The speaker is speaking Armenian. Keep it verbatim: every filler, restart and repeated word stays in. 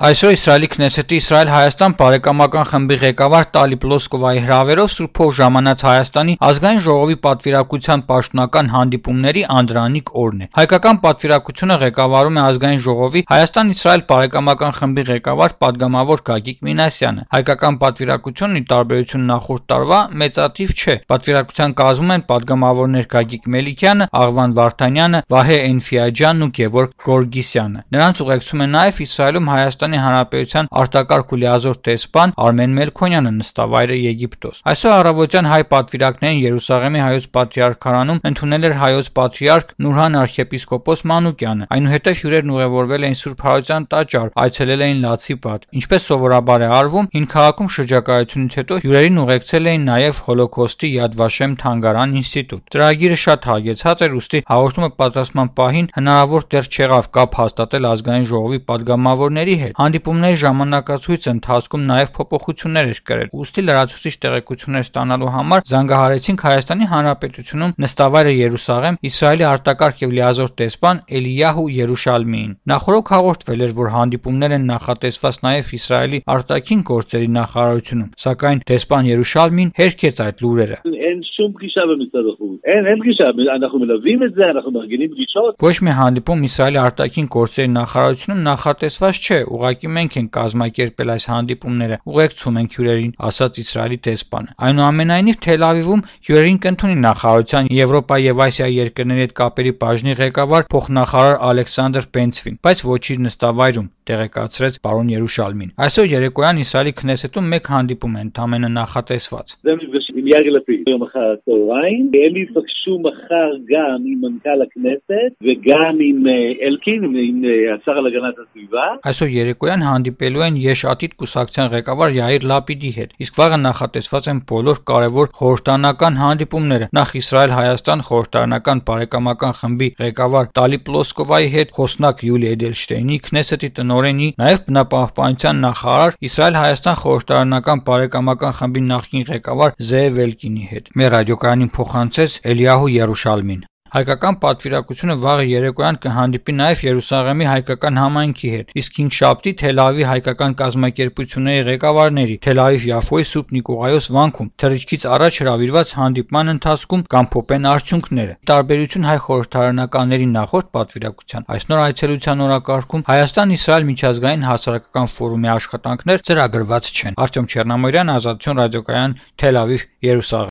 Այսօր Իսրայելի Քնեսեթի Իսրայել-Հայաստան բարեկամական խմբի ղեկավար Տալի Պլոսկովայի հրավերով Սուրբ Հող ժամանած Հայաստանի ազգային ժողովի պատվիրակության պաշտոնական հանդիպումների անդրանիկ օրն է։ Հայկական պատվիրակությունը ղեկավարում է ազգային ժողովի Հայաստան-Իսրայել բարեկամական խմբի ղեկավար պատգամավոր Գագիկ Մինասյանը։ Հայկական պատվիրակությունն ի տարբերություն նախորդ տարվա մեծաթիվ չէ։ Պատվիրակության կազմում են պատգամավորներ Գագիկ Մելիքյանը, Աղվան Վարդանյանը, Վահե Էնֆիաջյանն ու Գևորգ Գորգիսյանը։ Նրանց ուղեկցում է նաև Իսրայելում Հայաստանի Հանրապետության արտակարգ ու լիազոր տեսփան Արմեն Մելքոնյանը, նստավայրը Եգիպտոս։ Այսօր առավոտյան հայ պատվիրակներին Երուսաղեմի հայոց պատրիարքարանում ընդունել էր հայոց պատրիարք Նուրհան arczepiskopos Մանուկյանը։ Այնուհետև հյուրերն ուղևորվել էին Սուրբ Հարության տաճար, այցելել էին Լացի պատ։ Ինչպես սովորաբար է արվում, հին քաղաքում շրջագայությունից հետո հյուրերին ուղեկցել էին նաև Հոլոկոստի Yad Vashem թանգարան ինստիտուտ։ Ծրագիրը շատ հագեցած էր, ուստի հաղորդումը պատրաստման պահին հնարավոր դեռ չեղավ կապ հաստատել ազգային ժողովի պատգամավորների հետ։ Հանդիպումների ժամանակացույցը ընթացքում նաև փոփոխություններ էր կրել, ուստի լրացուցիչ տեղեկություններ ստանալու համար զանգահարեցինք Հայաստանի Հանրապետությունում նստավայրը Երուսաղեմ Իսրայելի արտակարգ եւ լիազոր տեսփան Էլիյահու Երուշալմիին։ Նախորդ հաղորդվել էր, որ հանդիպումներ են նախատեսված նաև Իսրայելի արտաքին գործերի նախարարությունում, սակայն տեսփան Երուշալմին հերքեց այդ լուրերը։ Ոչ մի հանդիպում Իսրայելի արտաքին գործերի նախարարությունում նախատեսված չէ, ուղղակի մենք ենք կազմակերպել այս հանդիպումները, ուղեկցում ենք հյուրերին, ասաց Իսրայելի տեսփանը։ Այնուամենայնիվ Թել Ավիվում հյուրերին կընդունի նախարարության Եվրոպա եւ Ասիա երկրների հետ կապերի բաժնի ղեկավար փոխնախարար Ալեքսանդր Պենցվին, բայց ոչ իր նստավայրում, տեղեկացրեց պարոն Երուշալմին։ Այսօր երեկոյան Իսրայելի Քնեսեթում մեկ հանդիպում է ընդամենը նախատեսված։ Այսօր երեկոյան հանդիպելու են Եշ-Ատիդ կուսակցության ղեկավար Յայիր Լապիդի հետ, իսկ վաղը նախատեսված են բոլոր կարևոր խորհրդարանական հանդիպումները, նախ Իսրայել-Հայաստան խորհրդարանական բարեկամական խմբի ղեկավար Տալի Պլոսկովայի հետ, խոսնակ Յուլի Էդելշտեյնի, Քնեսեթի տնօրենի, նաև բնապահպանության նախարար, Իսրայել-Հայաստան խորհրդարանական բարեկամական խմբի նախկին ղեկավար Զեև Էլկինի հետ։ Մեր ռադիոկայանին փոխանցեց Էլիյահու Երուշալմին։ Հայկական պատվիրակությունը վաղը երեկոյան կհանդիպի նաև Երուսաղեմի հայկական համայնքի հետ, իսկ հինգշաբթի Թել Ավիվի հայկական կազմակերպությունների ղեկավարների Թել Ավիվ-Յաֆոյի Սուրբ Նիկողայոս վանքում թռիչքից առաջ հրավիրված հանդիպման ընթացքում կամփոփեն արդյունքները։ Տարբերություն հայ խորհրդարանականների նախորդ պատվիրակության, այս նոր այցելության օրակարգում Հայաստան-Իսրայել միջազգային հասարակական ֆորումի աշխատանքներ ծրագրված չեն։ Արտյոմ Չեռնամորյան, Ազատություն ռադիոկայան, Թել Ավիվ, Երուսաղեմ։